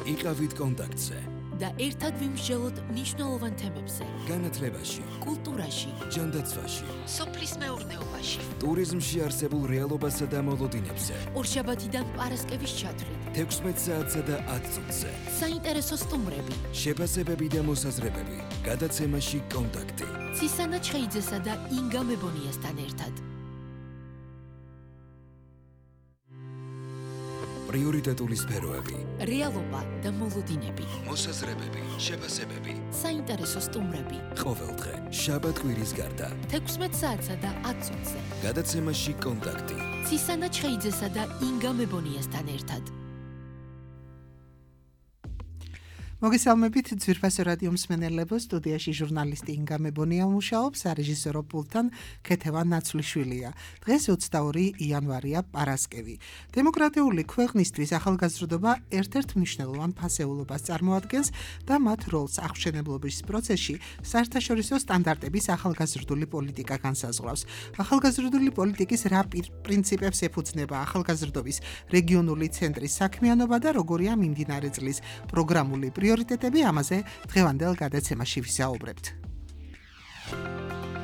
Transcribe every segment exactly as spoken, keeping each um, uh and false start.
იყავით კონტაქტზე და ერთად ვიმსჯელოთ მნიშვნელოვან თემებზე. განათლებაში, კულტურაში, ჯანდაცვაში, სოფლის მეურნეობაში, ტურიზმში არსებულ რეალობასა და მოლოდინებზე. ორშაბათიდან პარასკევის ჩათვლით, თექვსმეტ საათსა და ათ წუთზე. საინტერესო სტუმრები, შეფასებები და მოსაზრებები. გადაცემაში კონტაქტი. ცისანა ჩხეიძესა და ინგა მებონიასთან ერთად. პრიორიტეტული სფეროები. რეალობა და მოლოდინები. მოსაზრებები, შეფასებები. საინტერესო სტუმრები. ყოველდღე, შაბათ-კვირის გარდა. თექვსმეტ საათსა და ათ წუთზე. გადაცემაში კონტაქტი. ცისანა ჩხეიძესა და ინგა მებონიასთან ერთად. მოგესალმებით ძვირფასო რადიო მსმენელებო, სტუდიაში ჟურნალისტი ინგა მებონია მუშაობს, სარეჟისორო პულტთან ქეთევან ნაცვლიშვილია. დღეს ოცდაორი იანვარია, პარასკევი. დემოკრატიული ქვეყნისთვის ახალგაზრდობა ერთ-ერთ მნიშვნელოვან ფასეულობას წარმოადგენს და მათ როლს აღმშენებლობის პროცესში საერთაშორისო სტანდარტების ახალგაზრდული პოლიტიკა განსაზღვრავს. ახალგაზრდული პოლიტიკის რა პრინციპებს ეფუძნება ახალგაზრდობის რეგიონული ცენტრის საქმიანობა და როგორია მიმდინარე წლის პროგრამული პრიორიტეტები, ამაზე დღევანდელ გადაცემაში ვისაუბრებთ.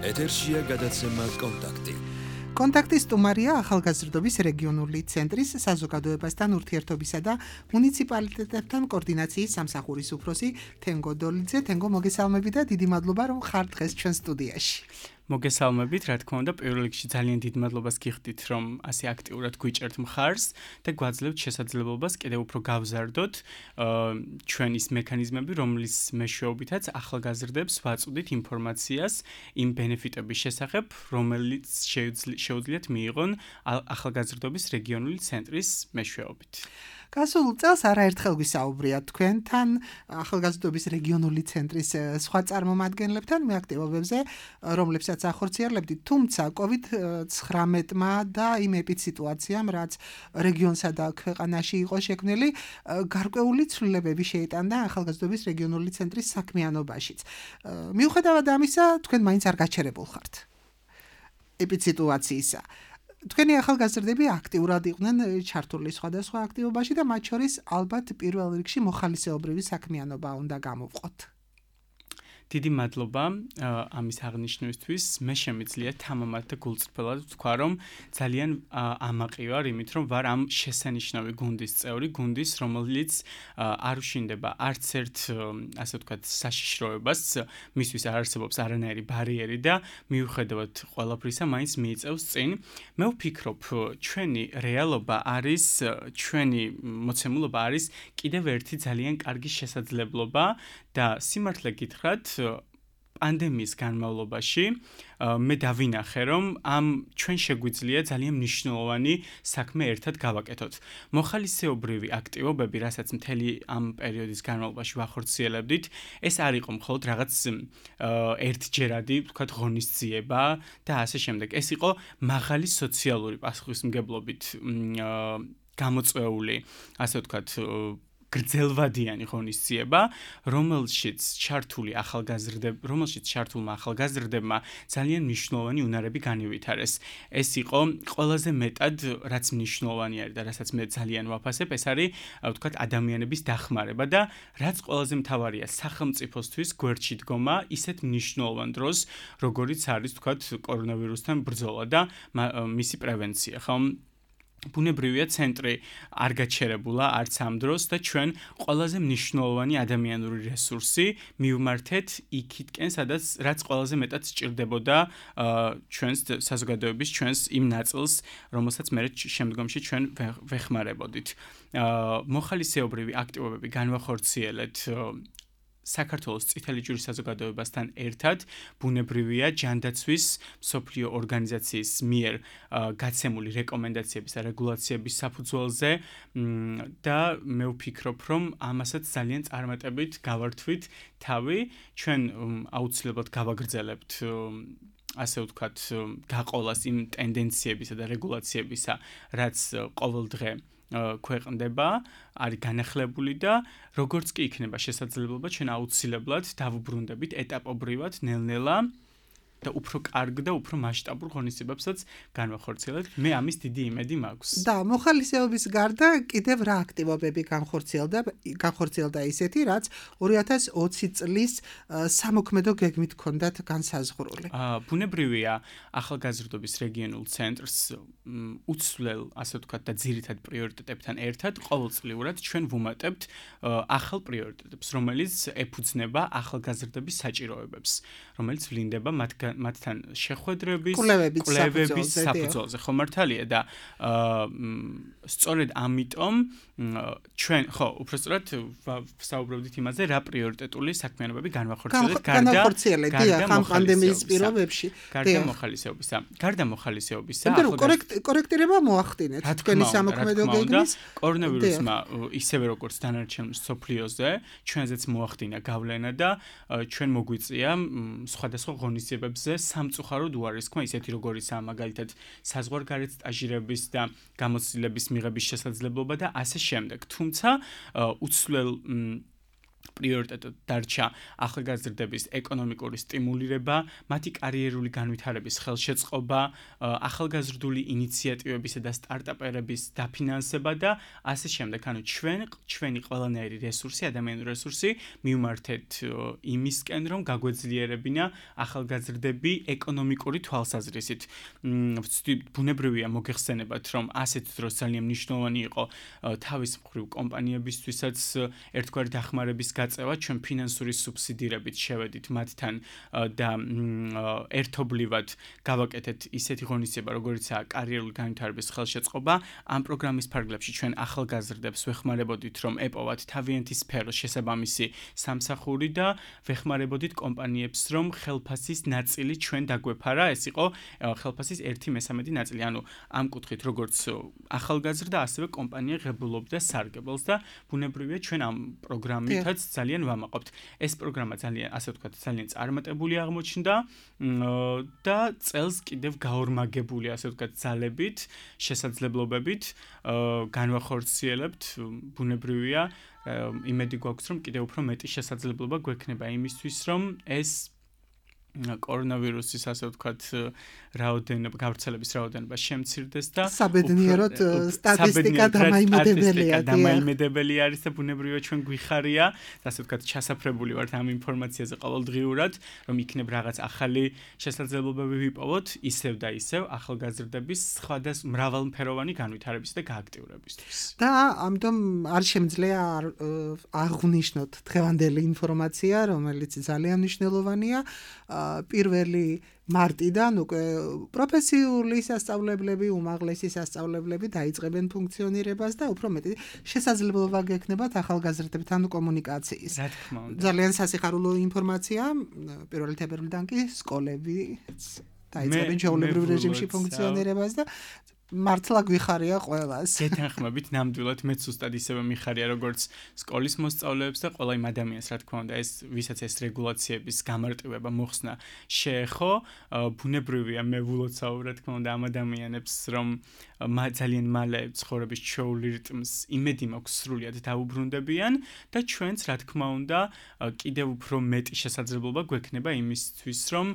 ეთერშია გადაცემა კონტაქტი. კონტაქტის სტუმარია ახალგაზრდობის რეგიონული ცენტრის საზოგადოებასთან ურთიერთობისა და მუნიციპალიტეტებთან კოორდინაციის სამსახურის უფროსი თენგო დოლიძე. თენგო, მოგესალმები და დიდი მადლობა, რომ ხარ დღეს ჩვენ სტუდიაში. მოგესალმებით, რა თქმა უნდა, პირველ რიგში ძალიან დიდ მადლობას გიხდით, რომ ასე აქტიურად გვიჭერთ მხარს და გვაძლევთ შესაძლებლობას კიდევ უფრო გავზარდოთ ჩვენ ის მექანიზმები, რომლის მეშვეობითაც ახალგაზრდებს ვაწვდით ინფორმაციას იმ ბენეფიტების შესახებ, რომელიც შეუძლიათ მიიღონ ახალგაზრდობის რეგიონული ცენტრის მეშვეობით. გასულ წელს არაერთხელ ვისაუბრია თქვენთან ახალგაზრდობის რეგიონული ცენტრის სხვა წარმომადგენლებთან მე აქტივობებზე, რომლებსაც ახორციელებდით, თუმცა კოვიდ ცხრამეტმა და იმ ეპიდსიტუაციამ, რაც რეგიონსა და ქვეყანაში იყო შექმნილი, გარკვეული ცვლილებები შეიტანდა ახალგაზრდობის რეგიონული ცენტრის საქმიანობაშიც. მიუხედავად ამისა, თქვენ მაინც არ გაჩერებულ ხართ ეპიდსიტუაციისა. თქვენი ახალგაზრდები აქტიურად იყვნენ ჩართული სხვადასხვა აქტივობაში და მათ შორის ალბათ პირველ რიგში მოხალისეობრივი საქმიანობა უნდა გამოვყოთ. დიდი მადლობა ამის აღნიშვნისთვის. მე შემიძლია თამამად და გულწრფელად ვთქვა, რომ ძალიან ამაყი ვარ იმით, რომ ვარ ამ შესანიშნავი გუნდის წევრი, გუნდის, რომელიც არ უშინდება არც ერთ, ასე ვთქვათ, საშიშროებას, მისთვის არ არსებობს არანაირი ბარიერი და მიუხედავად ყველაფრისა, მაინც მიიწევს წინ. მე ვფიქრობ, ჩვენი რეალობა არის, ჩვენი მოცემულობა არის კიდევ ერთი ძალიან კარგი შესაძლებლობა და სიმართლე გითხრათ, პანდემიის განმავლობაში მე დავინახე, რომ ამ ჩვენ შეგვიძლია ძალიან მნიშვნელოვანი საქმე ერთად გავაკეთოთ. მოხალისეობრივი აქტივობები, რასაც მთელი ამ პერიოდის განმავლობაში ვახორციელებდით, ეს არ იყო მხოლოდ რაღაც ერთჯერადი, ვთქვათ, ღონისძიება და ასე შემდეგ. ეს იყო მაღალი სოციალური პასუხისმგებლობით გამოწვეული, ასე ვთქვათ, გრძელვადიანი ღონისძიება, რომელშიც ჩართული ახალგაზრდები, რომელშიც ჩართულმა ახალგაზრდებმა ძალიან მნიშვნელოვანი უნარები განივითარეს. ეს იყო ყველაზე მეტად, რაც მნიშვნელოვანი არის და რასაც მე ძალიან ვაფასებ, ეს არის, ვთქვათ, ადამიანების დახმარება და რაც ყველაზე მთავარია, სახელმწიფოსთვის გვერდში დგომა ისეთ მნიშვნელოვან დროს, როგორიც არის, ვთქვათ, კორონავირუსთან ბრძოლა და მისი პრევენცია, ხო? ბუნებრივია ცენტრი არ გაჩერებულა არც ამ დროს და ჩვენ ყველაზე მნიშვნელოვანი ადამიანური რესურსი მივმართეთ იქითკენ, სადაც რაც ყველაზე მეტად სჭირდებოდა ჩვენს საზოგადოების, ჩვენს იმ ნაწილს, რომელსაც მე შემდგომში ჩვენ ვეხმარებოდით. მოხალისეობრივი აქტივობები განვახორციელეთ საქართველოს წითელი ჯვრის საზოგადოებასთან ერთად, ბუნებრივია ჯანდაცვის მსოფლიო ორგანიზაციის მიერ გაცემული რეკომენდაციების და რეგულაციების საფუძველზე და მე ვფიქრობ, რომ ამასაც ძალიან წარმატებით გავართვით თავი, ჩვენ აუცილებლად გავაგრძელებთ ასე ვთქვათ, გაყოლას იმ ტენდენციებისა და რეგულაციებისა, რაც ყოველდღე ქვეყნდება, არის განახლებული და როგორც კი იქნება შესაძლებლობა, ჩვენ აუცილებლად დავუბრუნდებით ეტაპობრივად, ნელ-ნელა და უფრო კარგ და უფრო მასშტაბურ ღონისძიებებსაც განვახორციელებთ. მე ამის დიდი იმედი მაქვს. და მოხალისეობის გარდა კიდევ რა აქტივობები განხორციელდა განხორციელდა ისეთი, რაც ორი ათას ოცი წლის სამოქმედო გეგმით ჰქონდათ განსაზღვრული. აა ბუნებრივია ახალგაზრდობის რეგიონულ ცენტრს უცვლელ, ასე ვთქვათ, და ძირითად პრიორიტეტებთან ერთად ყოველწლიურად ჩვენ ვუმატებთ ახალ პრიორიტეტებს, რომელიც ეფუძნება ახალგაზრდების საჭიროებებს, რომელიც ვლინდება მათთან შეხვედრების, კვლევების საფუძველზე. ხო მართალია და სწორედ ამიტომ ჩვენ ხო უბრალოდ საუბრობდით იმაზე, რა პრიორიტეტული საქმიანობები განვახორციელებთ გარდა ხამ პანდემიის პირობებში. გარდა მოხალისეობისა. გარდა მოხალისეობისა, ახალგაზრდების კორექტირება მოახდინეთ თქვენი სამოქმედო გეგმის. კორონავირუსმა ისევე როგორც დანარჩენ მსოფლიოზე, ჩვენზეც მოახდინა გავლენა და ჩვენ მოგვიწია სხვადასხვა ღონისძიებებზე სამწუხაროდ უარესქმა, ისეთი როგორიცაა მაგალითად საზღვარგარეთ სტაჟირების და გამოცდილების მიღების შესაძლებლობა და ასე შემდეგ. თუმცა უცვლელ პრიორიტეტად დარჩა ახალგაზრდების ეკონომიკური სტიმულირება, მათი კარიერული განვითარების ხელშეწყობა, ახალგაზრდული ინიციატივებისა და სტარტაპერების დაფინანსება და ასე შემდეგ. ანუ ჩვენ ჩვენი ყველანაირი რესურსი, ადამიანური რესურსი მივმართეთ იმისკენ, რომ გაგვეძლიერებინა ახალგაზრდები ეკონომიკური თვალსაზრისით. ბუნებრივია მოგეხსენებათ, რომ ასეთ დროს ძალიან მნიშვნელოვანი იყო თავის მხრივ კომპანიებისთვისაც ერთგვარი დახმარების გაწევა, ჩვენ ფინანსური სუბსიდირებით შევედით მათთან და ერთობლივად გავაკეთეთ ისეთი ღონისძიება, როგორიცაა კარიერული განვითარების ხელშეწყობა. ამ პროგრამის ფარგლებში ჩვენ ახალგაზრდებს ვეხმარებოდით, რომ ეპოვათ თავიანთი სფეროს შესაბამისი სამსახური და ვეხმარებოდით კომპანიებს, რომ ხელფასის ნაწილი ჩვენ დაგვეფარა. ეს იყო ხელფასის ერთი მესამედი ნაწილი. ანუ ამ კუთხით, როგორც ახალგაზრდა, ასევე კომპანია ღებულობდა სარგებელს და ბუნებრივია ჩვენ ამ პროგრამითაც ძალიან ვამაყობთ. ეს პროგრამა ძალიან, ასე ვთქვათ, ძალიან წარმატებული აღმოჩნდა და წელს კიდევ გაორმაგებული, ასე ვთქვათ, ძალებით, შესაძლებლობებით განვახორციელებთ. ბუნებრივია, იმედი გვაქვს, რომ კიდევ უფრო მეტი შესაძლებლობა გვექნება იმისთვის, რომ ეს კორონავირუსის, ასე ვთქვათ, რაოდენობა, გავრცელების რაოდენობა შემცირდეს და საბედნიეროდ სტატისტიკა დამაიმედებელია. დამაიმედებელი არის და ბუნებრივია ჩვენ გვიხარია, ასე ვთქვათ, ჩასაფრებული ვართ ამ ინფორმაციაზე ყოველდღიურად, რომ იქნებ რაღაც ახალი შესაძლებლობები ვიპოვოთ, ისევ და ისევ ახალგაზრდების სხვადასხვა მრავალფეროვანი განვითარების და გააქტიურებისთვის. და ამიტომ არ შემიძლია აღვნიშნოთ დღევანდელი ინფორმაცია, რომელიც ძალიან მნიშვნელოვანია. პირველი მარტიდან უკვე პროფესიული სასწავლებლები, უმაღლესი სასწავლებლები დაიწყებენ ფუნქციონირებას და უფრო მეტი შესაძლებლობა გექნებათ ახალგაზრდებთან კომუნიკაციის. რა თქმა უნდა. ძალიან სასიხარულო ინფორმაცია. პირველი თებერვლიდან კი სკოლები დაიწყებენ ჩვეულებრივ რეჟიმში ფუნქციონირებას და მართლა გვიხარია ყველას. გეთანხმებით ნამდვილად მეც უბრალოდ ისევე მიხარია როგორც სკოლის მოსწავლეებს და ყველა იმ ადამიანს, რა თქმა უნდა, ეს ვისაც ეს რეგულაციების გამარტივება მოხსნა შეეხო, ბუნებრივია მე ვილოცავ, რა თქმა უნდა, ამ ადამიანებს, რომ ძალიან მალე ცხოვრების ჩვეული რიტმს იმედი მაქვს სრულიად დაუბრუნდებიან და ჩვენც, რა თქმა უნდა, კიდევ უფრო მეტი შესაძლებლობა გვექნება იმისთვის, რომ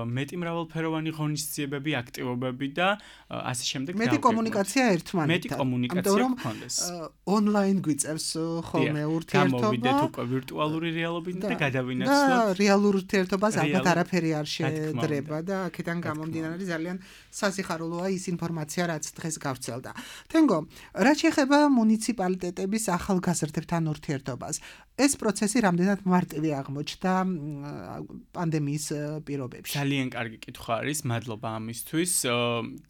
მეტი მრავალფეროვანი ღონისძიებები, აქტივობები და ასე შემდეგ მეტი კომუნიკაცია ერთმანეთთან. მეტი კომუნიკაცია გქონდეს. ონლაინ გვიწევს ხოლმე ურთიერთობა. გამოვიდეთ უკვე ვირტუალური რეალობით და გადავინაცვლოთ. და რეალურ ურთიერთობას ალბათ არაფერი არ შეედრება და აქედან გამომდინარე ძალიან სასიხარულოა ის ინფორმაცია, რაც დღეს გავრცელდა. თენგო, რაც შეეხება მუნიციპალიტეტების ახალგაზრდებთან ურთიერთობას, ეს პროცესი რამდენად მარტივი აღმოჩნდა პანდემიის პირობებში? ძალიან კარგი კითხვა არის, მადლობა ამისთვის.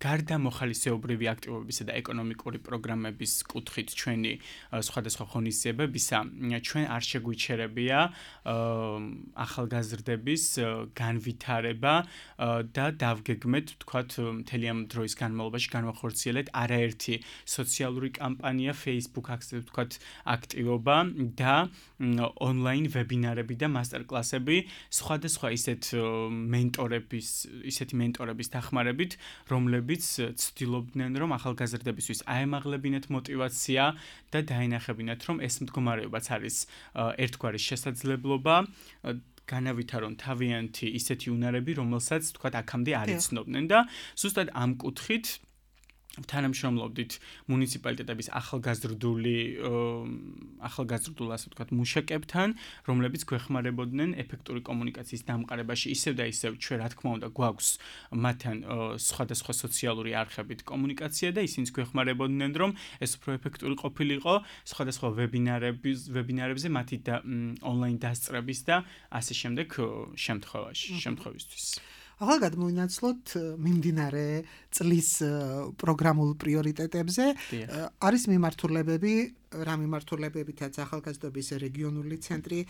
გარდა მოხალისეობრივი აქტივობებისა და ეკონომიკური პროგრამების კუთხით ჩვენი სხვადასხვა ღონისძიებებისა, ჩვენ არ შეგვიჩერებია ახალგაზრდების განვითარება და დავგეგმეთ, ვთქვათ, მთელი ამ დროის განმავლობაში განვახორციელეთ არაერთი სოციალური კამპანია, Facebook, ასე ვთქვათ, აქტივობა და ონლაინ ვებინარები და მასტერკლასები სხვადასხვა ისეთ მენტორების, ისეთი მენტორების დახმარებით, რომლებიც ცდილობდნენ, რომ ახალგაზრდებისთვის აემაღლებინათ მოტივაცია და დაენახებინათ, რომ ეს მდგომარეობაც არის ერთგვარი შესაძლებლობა. განავითარონ თავიანთი ისეთი უნარები, რომელსაც თქვა აქამდე არ იცნობდნენ და ზუსტად ამ კუთხით თანამშრომლობდით მუნიციპალიტეტების ახალგაზრდული ახალგაზრდულ ასე ვთქვათ მუშაკებთან, რომლებიც გვეხმარებოდნენ ეფექტური კომუნიკაციის დამყარებაში, ისევ და ისევ ჩვენ რა თქმა უნდა გვაქვს მათთან სხვადასხვა სოციალური არხებით კომუნიკაცია და ისინიც გვეხმარებოდნენ, რომ ეს უფრო ეფექტური ყოფილიყო სხვადასხვა ვებინარების ვებინარებზე მათი ონლაინ დასწრების და ასე შემდეგ შემთხვევაში, შემთხვევისთვის. ახლა გადმოვინაცვლოთ მიმდინარე წლის პროგრამულ პრიორიტეტებზე. არის მიმართულებები, რა მიმართულებებითაც ახალგაზრდობის რეგიონული ცენტრი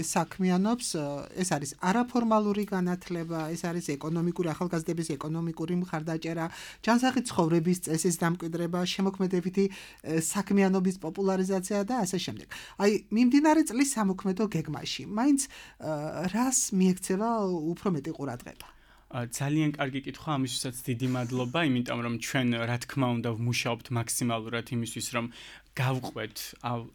საქმიანობს. ეს არის არაფორმალური განათლება, ეს არის ეკონომიკური ახალგაზრდების ეკონომიკური მხარდაჭერა, ჯანსაღი ცხოვრების წესის დამკვიდრება, შემოქმედებითი საქმიანობის პოპულარიზაცია და ასე შემდეგ. აი, მიმდინარე წლის სამოქმედო გეგმაში, მაინც რას მიექცევა უფრო მეტი ყურადღება? ძალიან კარგი კითხვა, ამისთვისაც დიდი მადლობა, იმიტომ რომ ჩვენ რა თქმა უნდა ვმუშაობთ მაქსიმალურად იმისთვის, რომ გავყვეთ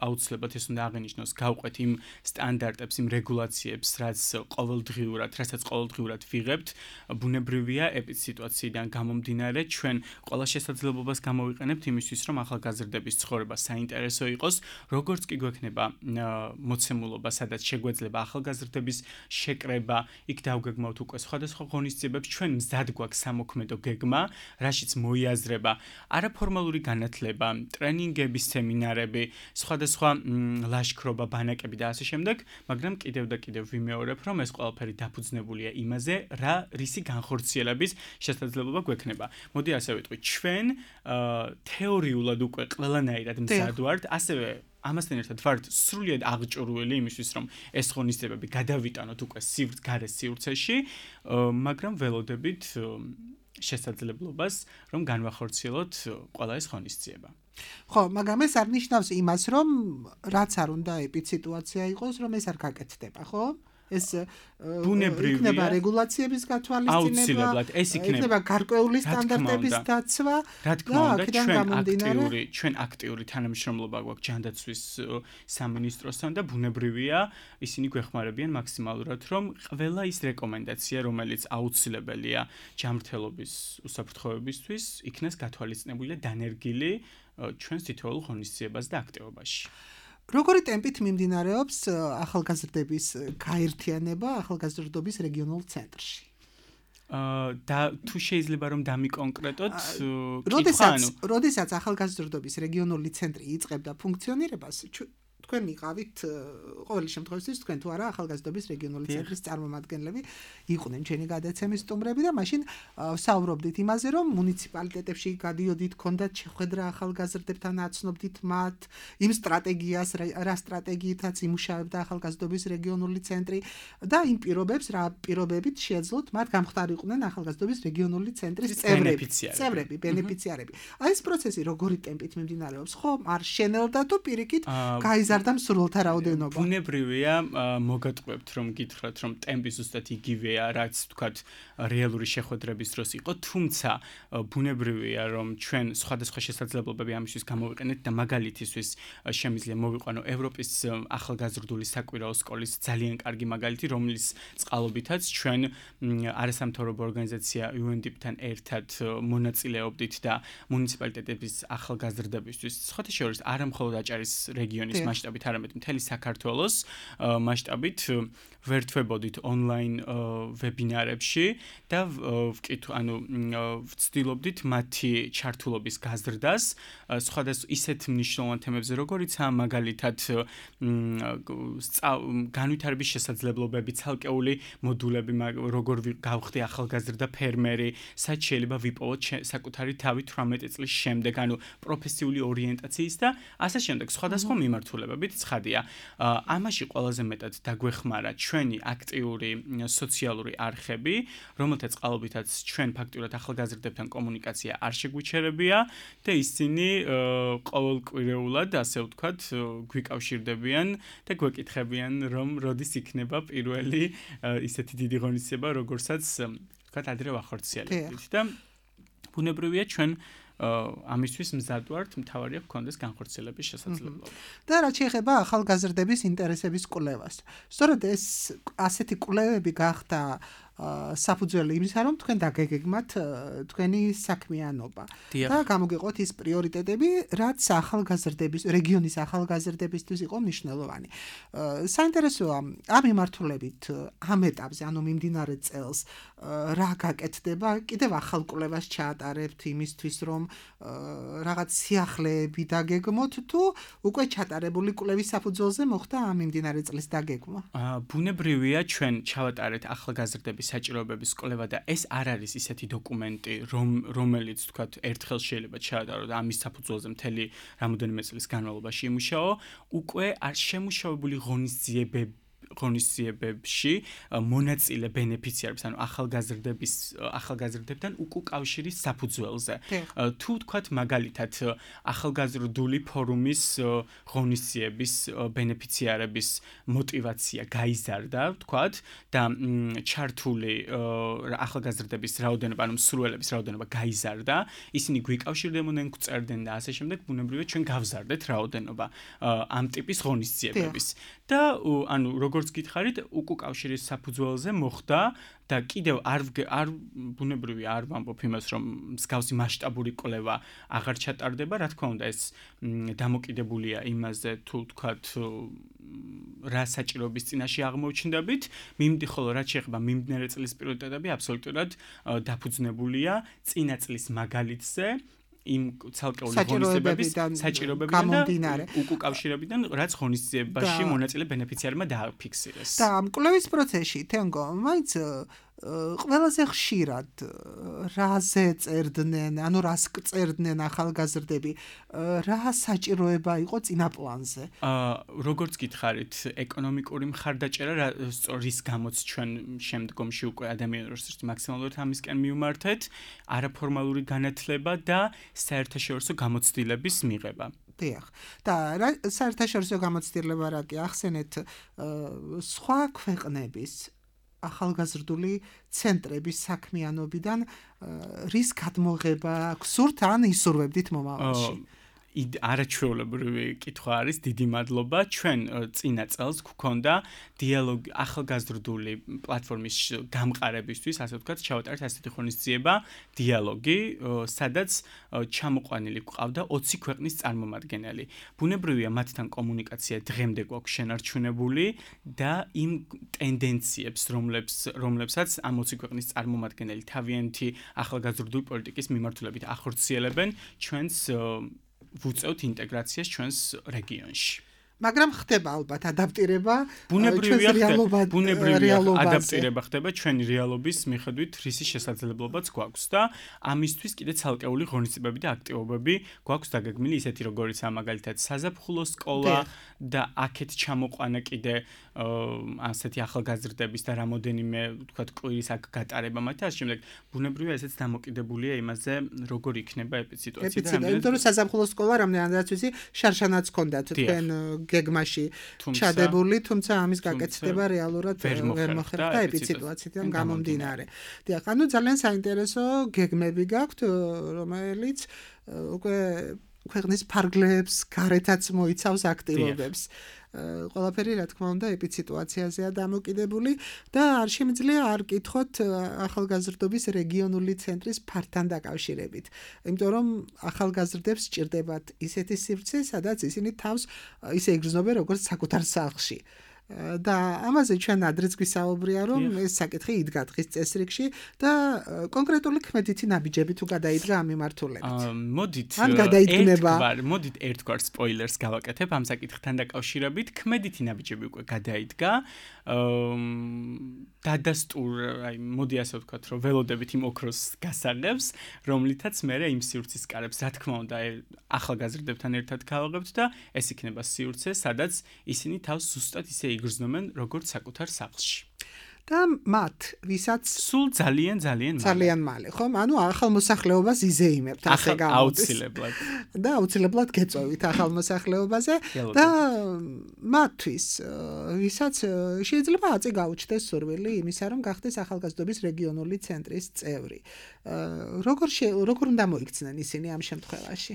აუცილებლად ეს უნდა აღინიშნოს, გავყვეთ იმ სტანდარტებს, იმ რეგულაციებს, რაც ყოველდღიურად, რასაც ყოველდღიურად ვიღებთ, ბუნებრივია ეპიდსიტუაციიდან გამომდინარე, ჩვენ ყველა შესაძლებლობას გამოვიყენებთ იმისთვის, რომ ახალგაზრდების ცხოვრება საინტერესო იყოს, როგორც კი გვექნება მოცემულობა, სადაც შეგვეძლება ახალგაზრდების შეკრება, იქ დავგეგმავთ უკვე სხვადასხვა ღონისძიებებს, ჩვენ მზად გვაქვს სამოქმედო გეგმა, რაშიც მოიაზრება არაფორმალური განათლება, ტრენინგების მინარები, სხვადასხვა ლაშქრობა, ბანაკები და ასე შემდეგ, მაგრამ კიდევ და კიდევ ვიმეორებ, რომ ეს ყველაფერი დაფუძნებულია იმაზე, რა რისი განხორციელების შესაძლებლობა გვექნება. მოდი ასე ვიტყვი, ჩვენ თეორიულად უკვე ყველანაირად მზად ვართ, ასევე ამასთან ერთად ვართ სრულიად აღჭურვილი იმისთვის, რომ ეს ღონისძიებები გადავიტანოთ უკვე სივრცე გარე სივრცეში, მაგრამ ველოდებით შესაძლებლობას, რომ განვახორციელოთ ყველა ეს ღონისძიება. ხო, მაგრამ ეს არ ნიშნავს იმას, რომ რაც არ უნდა ეპიდსიტუაცია იყოს, რომ ეს არ გაკეთდება, ხო? ეს იქნება რეგულაციების გათვალისწინება, ეს იქნება გარკვეული სტანდარტების დაცვა და აქედან გამომდინარე ჩვენ აქტიური თანამშრომლობა გვაქვს ჯანდაცვის სამინისტროსთან და ბუნებრივია ისინი გვეხმარებიან მაქსიმალურად, რომ ყველა ის რეკომენდაცია, რომელიც აუცილებელია ჯანმრთელობის უსაფრთხოებისთვის, იქნას გათვალისწინებული და დანერგილი ჩვენს თითოეულ ღონისძიებაზე და აქტივობაში. როგორი ტემპით მიმდინარეობს ახალგაზრდების გაერთიანება ახალგაზრდობის რეგიონულ ცენტრში? და თუ შეიძლება რომ დამიკონკრეტოთ, როდესაც როდესაც ახალგაზრდობის რეგიონული ცენტრი იწყებდა ფუნქციონირებას, თქვენ იყავით ყოველი შემთხვევაში თქვენ თუ არა ახალგაზრდობის რეგიონული ცენტრის წარმომადგენლები იყვნენ ჩვენი გადაცემის სტუმრები და მაშინ საუბრობდით იმაზე, რომ მუნიციპალიტეტებში გადიოდით, ქონდათ შეხვედრა ახალგაზრდებთან, აცნობდით მათ იმ სტრატეგიას, რა სტრატეგიითაც იმუშავებდა ახალგაზრდობის რეგიონული ცენტრი და იმ პირობებს, რა პირობებით შეეძლოთ მათ გამხდარიყვნენ ახალგაზრდობის რეგიონული ცენტრის წევრები, წევრები, ბენეფიციარები. აი ეს პროცესი როგორი ტემპით მიმდინარეობს, ხო? არ შენელდა თუ პირიქით გაიზარდა და მსურველთა რაოდენობა. ბუნებრივია, მოგატყუებთ რომ გითხრათ, რომ ტემპი ზუსტად იგივეა, რაც თქვათ რეალური შეხვედრების დროს იყო, თუმცა ბუნებრივია, რომ ჩვენ სხვადასხვა შესაძლებლობები ამისთვის გამოვიყენეთ და მაგალითისთვის შემიძლია მოვიყვანო ევროპის ახალგაზრდული საკვირაო სკოლის ძალიან კარგი მაგალითი, რომლის წყალობითაც ჩვენ არასამთავრობო ორგანიზაცია იუენ დი პი-თან ერთად მონაწილეობდით და მუნიციპალიტეტების ახალგაზრდებისთვის, სხვათა შორის არა მხოლოდ აჭარის რეგიონის მასშტაბით, არამედ მთელი საქართველოს მასშტაბით ვერთვებოდით ონლაინ ვებინარებში და ვკითხ, ანუ ვცდილობდით მათი ჩართულობის გაზრდას სხვადასხვა ისეთ მნიშვნელოვან თემებზე, როგორიცაა მაგალითად განვითარების შესაძლებლობები, ცალკეული მოდულები, როგორ გავხდი ახალგაზრდა ფერმერი, სად შეიძლება ვიპოვოთ საკუთარი თავი თვრამეტი წლის შემდეგ, ანუ პროფესიული ორიენტაციის და ასე შემდეგ სხვადასხვა მიმართულებებით ცხადია. ამაში ყველაზე მეტად დაგვეხმარა ჩვენი აქტიური სოციალური არხები, რომელთაც წყალობითაც ჩვენ ფაქტურად ახალგაზრდებთან კომუნიკაცია არ შეგვიჩერებია და ისინი ყოველკვირეულად, ასე ვთქვათ, გვიკავშირდებიან და გვეკითხებიან, რომ როდის იქნება პირველი ისეთი დიდი ღონისძიება, როგორცაც ვთქვათ, ადრე ვახორციელებდით და ბუნებრივია ჩვენ ამისთვის მზად ვართ, მთავარია გქონდეს განხორციელების შესაძლებლობა. და რაც შეეხება ახალგაზრდების ინტერესების კვლევას. სწორედ ეს ასეთი კვლევები გახდა საფუძველი იმისა, რომ თქვენ დაგეგმათ თქვენი საქმიანობა და გამოგეყოთ ის პრიორიტეტები, რაც ახალგაზრდების, რეგიონის ახალგაზრდებისთვის იყო მნიშვნელოვანი. საინტერესოა ამ მიმართულებით ამ ეტაპზე, ანუ მიმდინარე წელს რა გაკეთდება, კიდევ ახალ კვლევას ჩაატარებთ იმისთვის, რომ რაღაც სიახლეები დაგეგმოთ თუ უკვე ჩატარებული კვლევის საფუძველზე მოხდა ამ მიმდინარე წლის დაგეგმა? ბუნებრივია ჩვენ ჩავატარეთ ახალგაზრდების საჭიროებების კვლევა და ეს არ არის ისეთი დოკუმენტი, რომ რომელიც თქვათ ერთხელ შეიძლება ჩაატარო და ამის საფუძველზე მთელი რამოდენიმე წლის განმავლობაში იმუშაო, უკვე არ შემუშავებული ღონისძიებები ღონისძიებებში მონაწილე ბენეფიციარებს, ანუ ახალგაზრდების ახალგაზრდებთან უკავშირის საფუძველზე. თუ თქვათ მაგალითად ახალგაზრდული ფორუმის ღონისძიების ბენეფიციარების мотивация გაიზარდა, თქვათ და ჩართული ახალგაზრდების რაოდენობა, ანუ მსურველების რაოდენობა გაიზარდა, ისინი გვიკავშირდებოდნენ, გვწერდნენ და ასე შემდეგ, ბუნებრივია ჩვენ გავზარდეთ რაოდენობა ამ ტიპის ღონისძიებების. და ანუ როგორც გითხარით, უკავშირის საფუძველზე მოხდა და კიდევ არ არ ბუნებრივია არ ვამბობ იმას, რომ მსგავსი მასშტაბური კვლევა აღარ ჩატარდება, რა თქმა უნდა, ეს დამოკიდებულია იმაზე, თუ თქვათ რა საჭიროების წინაშე აღმოჩნდებით, მიმდი ხოლო რაც შეეხება მიმდინარე წლის პრიორიტეტები, აბსოლუტურად დაფუძნებულია წინა წლის მაგალითზე. იმ ცალკეული ღონისძიებების საჭიროებებიდან და უკავშირებიდან, რაც ღონისძიებაში მონაწილე ბენეფიციარმა დააფიქსირეს. და ამ კვლევის პროცესში თენგო, მაინც ყველაზე ხშირად რაზე წერდნენ, ანუ რას წერდნენ ახალგაზრდები, რა საჭიროება იყო წინა პლანზე? აა როგორც გითხარით, ეკონომიკური მხარდაჭერა რის გამოც ჩვენ შემდგომში უკვე ადამიანურ რესურსს მაქსიმალურად ამისკენ მივმართეთ, არაფორმალური განათლება და საერთაშორისო გამოცდილების მიღება. დიახ. და საერთაშორისო გამოცდილება რა კი ახსენეთ სხვა ქვეყნების ახალგაზრდული ცენტრების საქმიანობიდან რის გადმოღება გსურთ ან ისურვებდით მომავალში? არაჩვეულებრივი კითხვა არის, დიდი მადლობა. ჩვენ წინა წელს გვქონდა დიალოგი ახალგაზრდული პლატფორმის გამყარებისთვის, ასე ვთქვათ, ჩავატარეთ ასეთი ღონისძიება, დიალოგი, სადაც ჩამოყვანილი გვყავდა ოცი ქვეყნის წარმომადგენელი. ბუნებრივია მათთან კომუნიკაცია დღემდე გვაქვს შენარჩუნებული და იმ ტენდენციებს, რომლებს რომლებსაც ამ ოცი ქვეყნის წარმომადგენელი თავიანთი ახალგაზრდული პოლიტიკის მიმართულებით ახორციელებენ, ჩვენს ვუწევთ ინტეგრაციას ჩვენს რეგიონში. მაგრამ ხდება ალბათ ადაპტირება ბუნებრივია ხდება ბუნებრივია ადაპტირება ხდება ჩვენი რეალობის მიხედვით რისი შესაძლებლობაც გვაქვს და ამისთვის კიდე ცალკეული ღონისძიებები და აქტივობები გვაქვს დაგეგმილი ისეთი როგორიც მაგალითად საზაფხულო სკოლა და აქეთ ჩამოყვანა კიდე ასეთი ახალგაზრდების და რამოდენიმე ვთქვათ კვირის აქ გატარება მათ ასე შემდეგ ბუნებრივია ესეც დამოკიდებულია იმაზე როგორ იქნება ეპიციტუაცია და რამდენად იმიტომ რომ საზაფხულო სკოლა რამდენადაც ვიცი შარშანაც ჰქონდათ თქვენ გეგმაში ჩადებული, თუმცა ამის გაკეთება რეალურად ვერ მოხერხდა ეპიციტუაციიდან გამომდინარე. დიახ, ანუ ძალიან საინტერესო გეგმები გაქვთ, რომელიც უკვე ქვეყნის ფარგლებს გარეთაც მოიცავს აქტივობებს. ყველაფერი რა თქმა უნდა ეპიციტუაციაზეა დამოკიდებული და არ შემიძლია არ კითხოთ ახალგაზრდობის რეგიონული ცენტრის ფართან დაკავშირებით. იმიტომ რომ ახალგაზრდებს სჭირდებათ ისეთი სივრცე, სადაც ისინი თავს ისე იგრძნობენ როგორც საკუთარ სახლში. და ამაზე ჩვენ ადრეც გვისაუბრია რომ ეს საკითხი იდგა დღის წესრიგში და კონკრეტული ქმედითი ნაბიჯები თუ გადაიდგა ამ მიმართულებით. მოდით ან გადაიდგნება. მოდით ერთგვარ სპოილერს გავაკეთებ ამ საკითხთან დაკავშირებით. ქმედითი ნაბიჯები უკვე გადაიდგა. დადასტურ, აი მოდი ასე ვთქვათ, რომ ველოდებით იმ ოქროს გასაღებს, რომლითაც მე იმ სივრცის კარებს, რა თქმა უნდა, ახალგაზრდებთან ერთად გავაღებთ და ეს იქნება სივრცე, სადაც ისინი თავს ზუსტად ისე იგრძნობენ, როგორც საკუთარ სახლში. და მათ ვისაც სულ ძალიან ძალიან მალე. ძალიან მალე, ხომ? ანუ ახალ მოსახლეობას იზეიმებთ ასე გამოდის. აუცილებლად. და აუცილებლად გეწოვით ახალ მოსახლეობაზე და მათთვის ვისაც შეიძლება აწი გაუჩნდეს სურვილი იმისა, რომ გახდეს ახალგაზრდობის რეგიონული ცენტრის წევრი. როგორ როგორ უნდა მოიქცნენ ისინი ამ შემთხვევაში?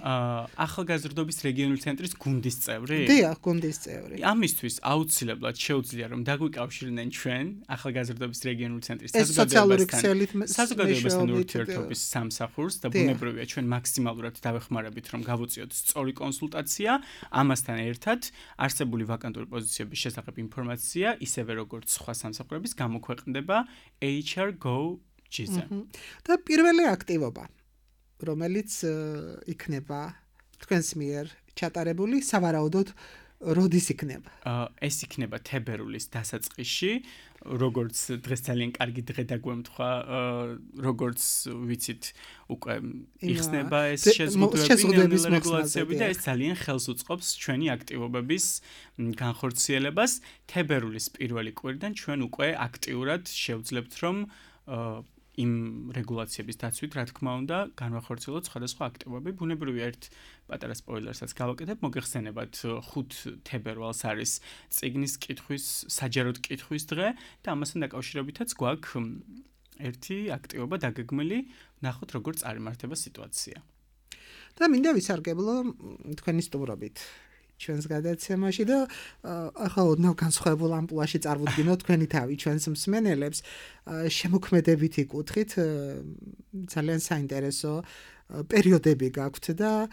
ახალგაზრდობის რეგიონული ცენტრის გუნდის წევრი? დიახ, გუნდის წევრი. ამისთვის აუცილებლად შეუძლია რომ დაგვიკავშირდნენ ჩვენ ახალგაზრდობის რეგიონული ცენტრის საზოგადოებასთან ურთიერთობის სამსახურს და ბუნებრივია ჩვენ მაქსიმალურად დავეხმარებით რომ გავუწიოთ სწორი კონსულტაცია ამასთან ერთად არსებული ვაკანტური პოზიციების შესახებ ინფორმაცია ისევე როგორც სხვა სამსახურების გამოქვეყნდება H R Go G-ზე. და პირველი აქტივობა რომელიც იქნება თქვენს მიერ ჩატარებული სავარაუდოდ როდის იქნება? ეს იქნება თებერვლის დასაწყისში, როგორც დღეს ძალიან კარგი დღე დაგვემთხვა, როგორც ვიცით, უკვე იხსნება ეს შეზღუდვები, რეგულაციები და ეს ძალიან ხელს უწყობს ჩვენი აქტივობების განხორციელებას. თებერვლის პირველი კვირიდან ჩვენ უკვე აქტიურად შევძლებთ, რომ იმ რეგულაციების დაცვით, რა თქმა უნდა, განვახორციელოთ სხვადასხვა აქტივობები. ბუნებრივია ერთ პატარა სპოილერსაც გავაკეთებ, მოგეხსენებათ ხუთ თებერვალს არის წიგნის კითხვის, საჯაროდ კითხვის დღე და ამასთან დაკავშირებითაც გვაქვს ერთი აქტივობა დაგეგმილი, ნახოთ როგორ წარიმართება სიტუაცია. და მინდა ვისარგებლო თქვენი სტუმრობით ჩვენს გადაცემაში და ახლა ოდნავ განსხვავებულ ამპლუაში წარვუდგინოთ თქვენი თავი ჩვენს მსმენელებს შემოქმედებით იკუთხით ძალიან საინტერესო პერიოდები გაქვთ და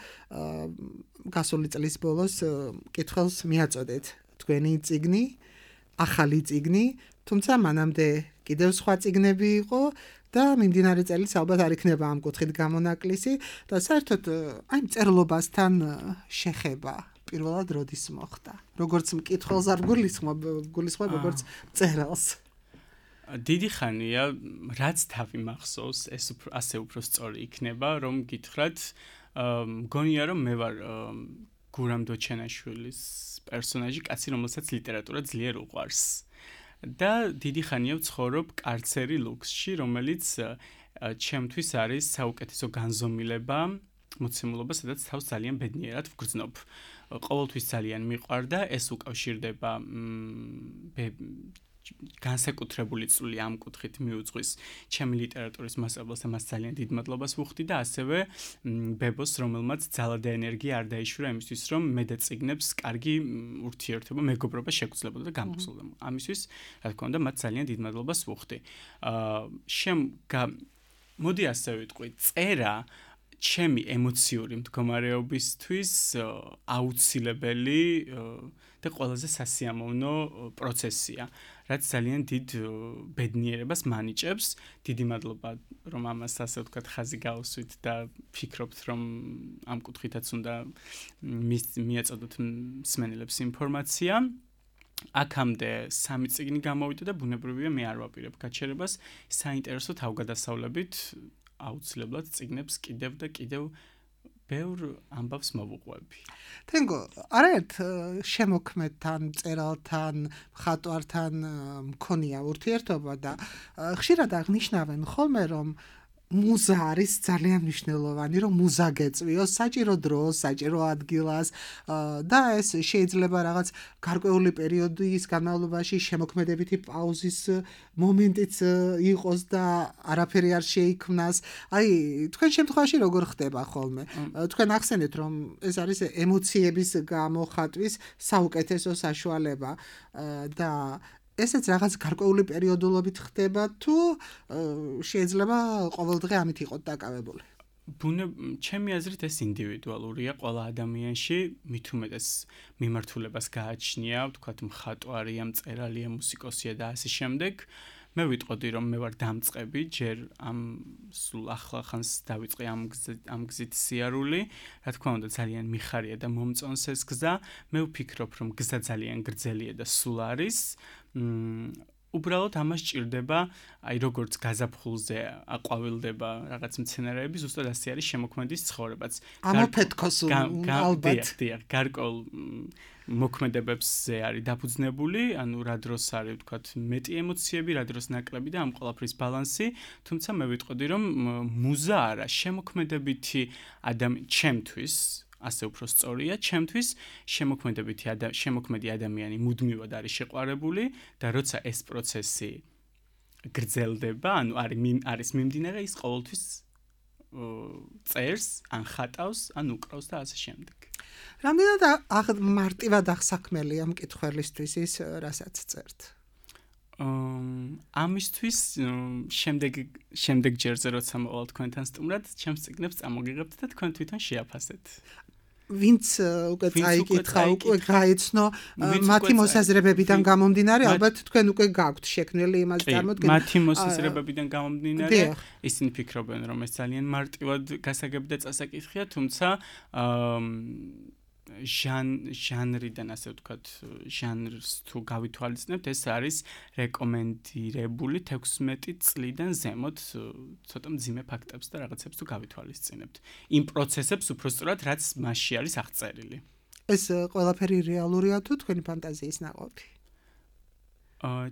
გასული წლის ბოლოს კითხველს მიაწოდეთ თქვენი წიგნი ახალი წიგნი თუმცა მანამდე კიდევ სხვა წიგნები იყო და მიმდინარე წელიც ალბათ არ იქნება ამ კუთხით გამონაკლისი და საერთოდ აი მწერლობასთან შეხება პირველად როდის მოხდა? როგორც მკითხველს არ გულისხმობ, გულისხმობ როგორც მწერალს. დიდი ხანია, რაც თავი მახსოვს, ეს ასე უფრო სწორი იქნება, რომ გითხრათ, მგონია რომ მე ვარ გურამ დოჩენაშვილის პერსონაჟი, კაცი, რომელსაც ლიტერატურა ძლიერ უყვარს. და დიდი ხანია ვცხოვრობ კარცერი ლუქსში, რომელიც ჩემთვის არის საუკეთესო განზომილება, მოცემულობა, სადაც თავს ძალიან ბედნიერად ვგრძნობ. ყოველთვის ძალიან მიყვარდა, ეს უკავშირდება განსაკუთრებული წვლილი ამ კუთხით მიუძღვის ჩემი ლიტერატურის მასწავლებლას და მას ძალიან დიდ მადლობას ვუხდი და ასევე ბებოს, რომელმაც ძალა და ენერგია არ დაიშურა იმისთვის, რომ მე და წიგნებს კარგი ურთიერთობა, მეგობრობა შეგრძლებოდა და გამოსულდა. ამისთვის, რა თქმა უნდა, მათ ძალიან დიდ მადლობას ვუხდი. შემ მოდი ასე ვიტყვი, წერა ჩემი ემოციური მდგომარეობისთვის აუცილებელი და ყველაზე სასიამოვნო პროცესია, რაც ძალიან დიდ ბედნიერებას მანიჭებს. დიდი მადლობა, რომ ამას ასე ვთქვათ, ხაზი გაუსვით და ფიქრობთ, რომ ამ კუთხითაც უნდა მიაწოდოთ მსმენელებს ინფორმაცია. აქამდე სამი წიგნი გამოვიდა და ბუნებრივია მე არ ვაპირებ გაჩერებას, საინტერესო თავგადასავლებით აუცილებლად წიგნებს კიდევ და კიდევ ბევრ ამბავს მოვუყვები. თენგო, არაერთ შემოქმედთან, მწერალთან, მხატვართან მქონია ურთიერთობა და ხშირად აღნიშნავენ ხოლმე, რომ მუზა არის ძალიან მნიშვნელოვანი, რომ მუზა გეწვიოს საჭირო დროს, საჭირო ადგილას და ეს შეიძლება რაღაც გარკვეული პერიოდის განმავლობაში შემოქმედებითი პაუზის მომენტიც იყოს და არაფერი არ შეიქმნას. აი, თქვენ შემთხვევაში როგორ ხდება ხოლმე? თქვენ ახსენეთ, რომ ეს არის ემოციების გამოხატვის საუკეთესო საშუალება და ესეც რაღაც გარკვეული პერიოდულობით ხდება თუ შეიძლება ყოველდღე ამით იყოთ დაკავებული? ბუნებ ჩემი აზრით ეს ინდივიდუალურია ყველა ადამიანში, მით უმეტეს მიმართულებას გააჩნია, ვთქვათ, მხატვარია, მწერალია, მუსიკოსია და ასე შემდეგ. მე ვიტყოდი, რომ მე ვარ დამწყები, ჯერ ამ სულ ახლა ხანს დავიწყე ამ ამ გზით სიარული. რა თქმა უნდა, ძალიან მიხარია და მომწონს ეს გზა. მე ვფიქრობ, რომ გზა ძალიან გრძელია და სულ არის. უბრალოდ ამას ჭირდება, აი როგორც გაზაფხულზე აყვავილდება რაღაც მცენარეები, ზუსტად ასე არის შემოქმედის ცხოვრებაც. ამოფეთქოს ალბათ. დიახ, გარკვეულ მოქმედებებზე არის დაფუძნებული, ანუ რა დროს არის ვთქვათ მეტი ემოციები, რა დროს ნაკლები და ამ ყველაფრის ბალანსი, თუმცა მე ვიტყოდი რომ მუზა არა, შემოქმედებითი ადამიანი ჩემთვის ასე უფრო სწორია, ჩემთვის შემოქმედებითი შემოქმედი ადამიანი მუდმივად არის შეყვარებული და როცა ეს პროცესი გრძელდება, ანუ არის არის მიმდინარე, ის ყოველთვის წერს, ან ხატავს, ან უკრავს და ასე შემდეგ. რამდენად მარტივად აღსაქმელია მკითხველისთვის ის, რასაც წერთ? ამისთვის შემდეგ შემდეგ ჯერზე როცა მოვალ თქვენთან სტუმრად, ჩემს წიგნებს წამოგიღებთ და თქვენ თვითონ შეაფასეთ. ვინც უკვე წაიკითხა, უკვე გაიცნო მათი მოსაზრებებიდან გამომდინარე, ალბათ თქვენ უკვე გაქვთ შექმნილი იმას წარმოდგენა. მათი მოსაზრებებიდან გამომდინარე, ისინი ფიქრობენ, რომ ეს ძალიან მარტივად გასაგები და წასაკითხია, თუმცა ჟანრიდან ასე ვთქვათ, ჟანრს თუ გავითვალისწინებთ, ეს არის რეკომენდირებული თექვსმეტი წლიდან ზემოთ ცოტა მძიმე ფაქტებს და რაღაცებს თუ გავითვალისწინებთ. იმ პროცესებს უფრო სწორად, რაც მასში არის აღწერილი. ეს ყველაფერი რეალურია თუ თქვენი ფანტაზიის ნაყოფი?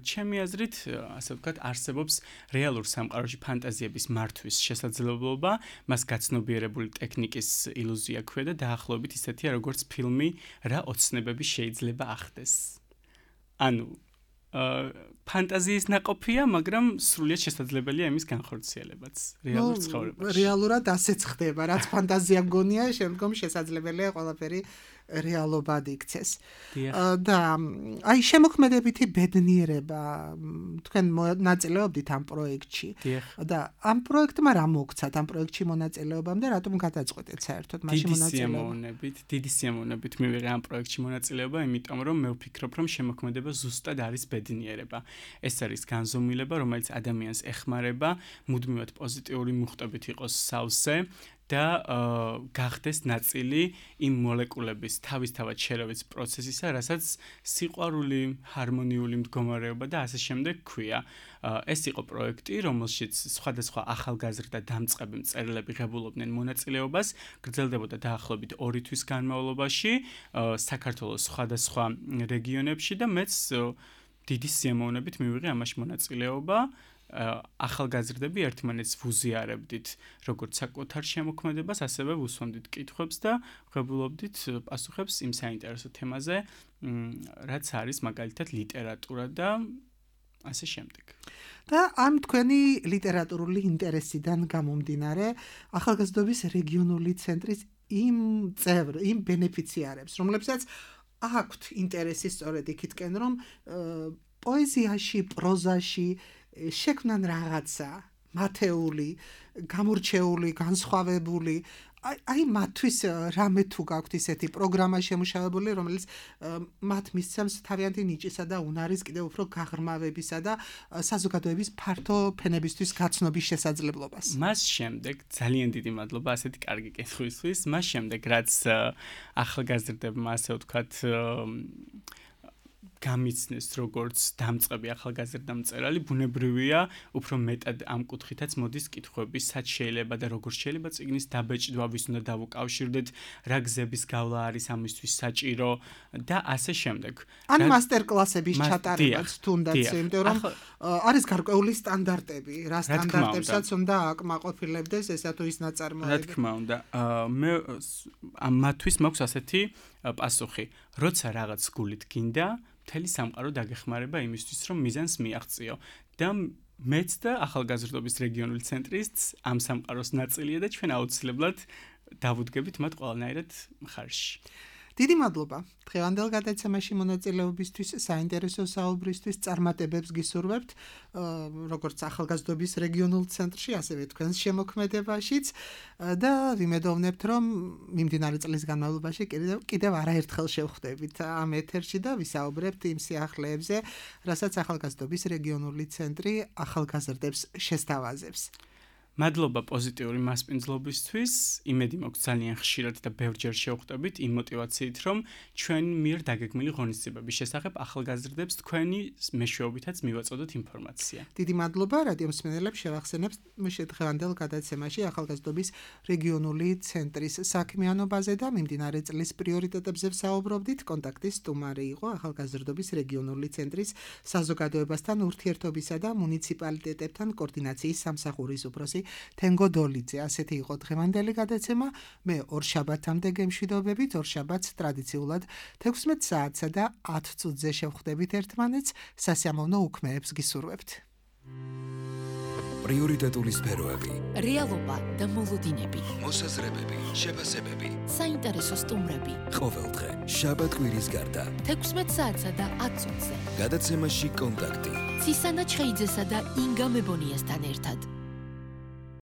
ჩემი აზრით, ასე ვთქვათ, არსებობს რეალურ სამყაროში ფანტაზიების მართვის შესაძლებლობა, მას გაცნობიერებული ტექნიკის ილუზია ქვია და დაახლოებით ისეთია, როგორც ფილმი რა ოცნებები შეიძლება ახდეს. ანუ ფანტაზიის ნაყოფია, მაგრამ სრულიად შესაძლებელია იმის განხორციელებაც რეალურ ცხოვრებაში. რეალურად ასეც ხდება, რაც ფანტაზია გონია, შემდგომ შესაძლებელია ყველაფერი რეალობად იქცეს. და აი შემოქმედებითი ბედნიერება თქვენ მონაწილეობდით ამ პროექტში. და ამ პროექტმა რა მოგცათ ამ პროექტში მონაწილეობამ და რატომ გადაწყვეტეთ საერთოდ მაშინ მონაწილეობა? დიდი სიამოვნებით მივიღე ამ პროექტში მონაწილეობა, იმიტომ რომ მე ვფიქრობ, რომ შემოქმედება ზუსტად არის ბედნიერება. ეს არის განზომილება, რომელიც ადამიანს ეხმარება, მუდმივად პოზიტიური მუხტებით იყოს სავსე და გახდეს ნაწილი იმ მოლეკულების თავისთავად შერევის პროცესისა, რასაც სიყვარული, ჰარმონიული მდგომარეობა და ასე შემდეგ ქვია. ეს იყო პროექტი, რომელშიც სხვადასხვა ახალგაზრდა დამწყები მწერლები ღებულობდნენ მონაწილეობას, გრძელდებოდა დაახლოებით ორი თვის განმავლობაში საქართველოს სხვადასხვა რეგიონებში და მეც დიდი სიამოვნებით მივიღე ამაში მონაწილეობა. ახალგაზრდები ერთმანეთს ვუზიარებდით როგორც საკუთარ შემოქმედებას, ასევე ვუსვამდით კითხვებს და ვღებულობდით პასუხებს იმ საინტერესო თემაზე, რაც არის მაგალითად ლიტერატურა და ასე შემდეგ. და ამ თქვენი ლიტერატურული ინტერესიდან გამომდინარე, ახალგაზრდობის რეგიონული ცენტრის იმ წევრ, იმ ბენეფიციარებს, რომლებსაც აქვთ ინტერესი სწორედ იქითკენ, რომ პოეზიაში, პროზაში შექმნან რაღაცა მათეული, გამორჩეული, განსხვავებული, აი მათთვის რამე თუ გაქვთ ისეთი პროგრამა შემუშავებული, რომელიც მათ მისცემს თავიანთი ნიჭისა და უნარის კიდევ უფრო გაღრმავებისა და საზოგადოების ფართო ფენებისთვის გაცნობის შესაძლებლობას. მას შემდეგ ძალიან დიდი მადლობა ასეთი კარგი კითხვისთვის. მას შემდეგ რაც ახალგაზრდებმა ასე ვთქვათ გამიცნეს როგორც დამწყები ახალგაზრდა მწერალი, ბუნებრივია, უფრო მეტად ამ კუთხითაც მოდის კითხვები, სად შეიძლება და როგორ შეიძლება წიგნის დაბეჭდვა, ვის უნდა დავუკავშირდეთ, რა გზების გავლა არის ამისთვის საჭირო და ასე შემდეგ. ან მასტერკლასების ჩატარებაც თუნდაც, იმიტომ რომ არის გარკვეული სტანდარტები, რა სტანდარტებსაც უნდა აკმაყოფილებდეს ესა თუ ის ნაწარმოები. რა თქმა უნდა, მე მათთვის მაქვს ასეთი პასუხი, როცა რაღაც გულით გინდა მთელი სამყარო დაგეხმარება იმისთვის, რომ მიზანს მიაღწიო და მეც და ახალგაზრდობის რეგიონული ცენტრიც ამ სამყაროს ნაწილია და ჩვენ აუცილებლად დავუდგებით მათ ყველანაირად მხარში. დიდი მადლობა დღევანდელ გადაცემაში მონაწილეობისთვის, საინტერესო საუბრისთვის, წარმატებებს გისურვებთ, როგორც ახალგაზრდობის რეგიონულ ცენტრში, ასევე თქვენს შემოქმედებაშიც და ვიმედოვნებთ, რომ მიმდინარე წლის განმავლობაში კიდევ არაერთხელ შევხვდებით ამ ეთერში და ვისაუბრებთ იმ სიახლეებზე, რასაც ახალგაზრდობის რეგიონული ცენტრი ახალგაზრდებს შესთავაზებს. მადლობა პოზიტიური მასპინძლობისთვის. იმედი მაქვს ძალიან ხშირად და ბევრჯერ შევხვდებით იმ მოტივაციით, რომ ჩვენ მიერ დაგეგმილი ღონისძიებების შესახებ ახალგაზრდებს თქვენი მეშვეობითაც მივაწოდოთ ინფორმაცია. დიდი მადლობა რადიო მსმენელებს შევახსენებთ დღევანდელ გადაცემაში ახალგაზრდობის რეგიონული ცენტრის საქმიანობაზე და მიმდინარე წლის პრიორიტეტებზე ვსაუბრობდით. კონტაქტის სტუმარი იყო ახალგაზრდობის რეგიონული ცენტრის საზოგადოებასთან ურთიერთობისა და მუნიციპალიტეტებთან კოორდინაციის სამსახურის უფროსი თენგო დოლიძე. ასეთი იყო დღევანდელი გადაცემა. მე ორ შაბათამდე გემშვიდობებით. ორ შაბათს ტრადიციულად თექვსმეტ საათსა და ათ წუთზე შევხვდებით ერთმანეთს. სასიამოვნო უქმეებს გისურვებთ. პრიორიტეტული სფეროები, რეალობა და მოლოდინები, მოსაზრებები, შეფასებები. საინტერესო სტუმრები. ყოველდღე შაბათ-კვირის გარდა. თექვსმეტ საათსა და ათ წუთზე. გადაცემაში კონტაქტი. ცისანა ჩხეიძესა და ინგა მებონიასთან ერთად.